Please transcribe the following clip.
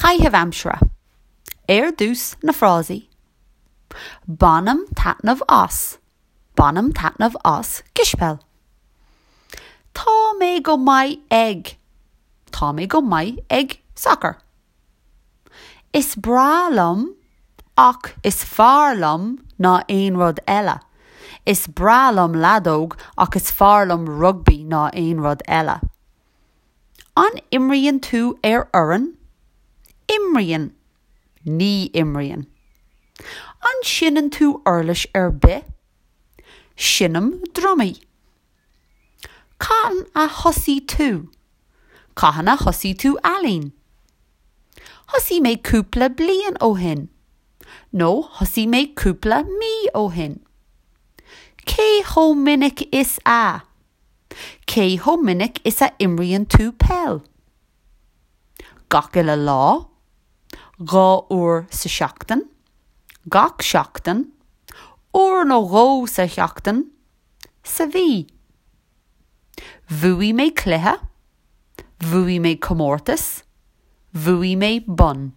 Caitheamh aimsire. Ar dtús, na frásaí. Bainim taitneamh as. Bainim taitneamh as cispheil. Tá mé go maith ag. Tá mé go maith ag sacar. Is breá liom ach is fearr liom ná aon rud eile. Is breá liom leadóg ach is fearr liom rugbaí ná aon rud eile. An imríonn tú ar fhoireann? Imríonn. Ní imríonn. An seinneann tú uirlis ar bith? Seinnim drumaí. Cathain a thosaigh tú? Cathain a thosaigh tú ealaín? Thosaigh mé cúpla bliain ó shin. Nó thosaigh mé cúpla mí ó shin. Cé chomh minic is a? Cé chomh minic is a imríonn tú peil? Gach uile lá. 2 uair sa seachtain. Gach seachtain. Uair nó dhó sa sheachtain. Sa mhí. Bhuaigh mé cluiche. Bhuaigh mé comórtas. Bhuaigh mé bonn.